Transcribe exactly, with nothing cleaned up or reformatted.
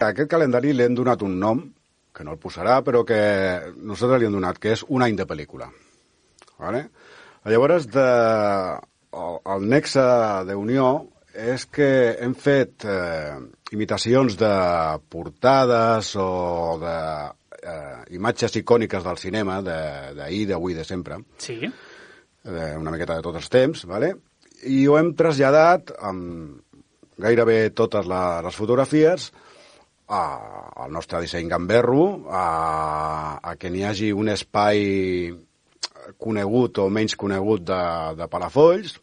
A aquest calendari li hem donat un nom, que no el posarà, però que nosaltres li hem donat, que és un any de pel·lícula. Vale? Llavors, de, el, el nexe d'unió és que hem fet eh, imitacions de portades o de eh, imatges icòniques del cinema, d'ahir, d'avui, de sempre. Sí. Eh, una miqueta de tots els temps, vale? I ho hem traslladat amb gairebé totes les, les fotografies a, al nostre disseny gamberro, a, a que n'hi hagi un espai conegut o menys conegut de, de Palafolls,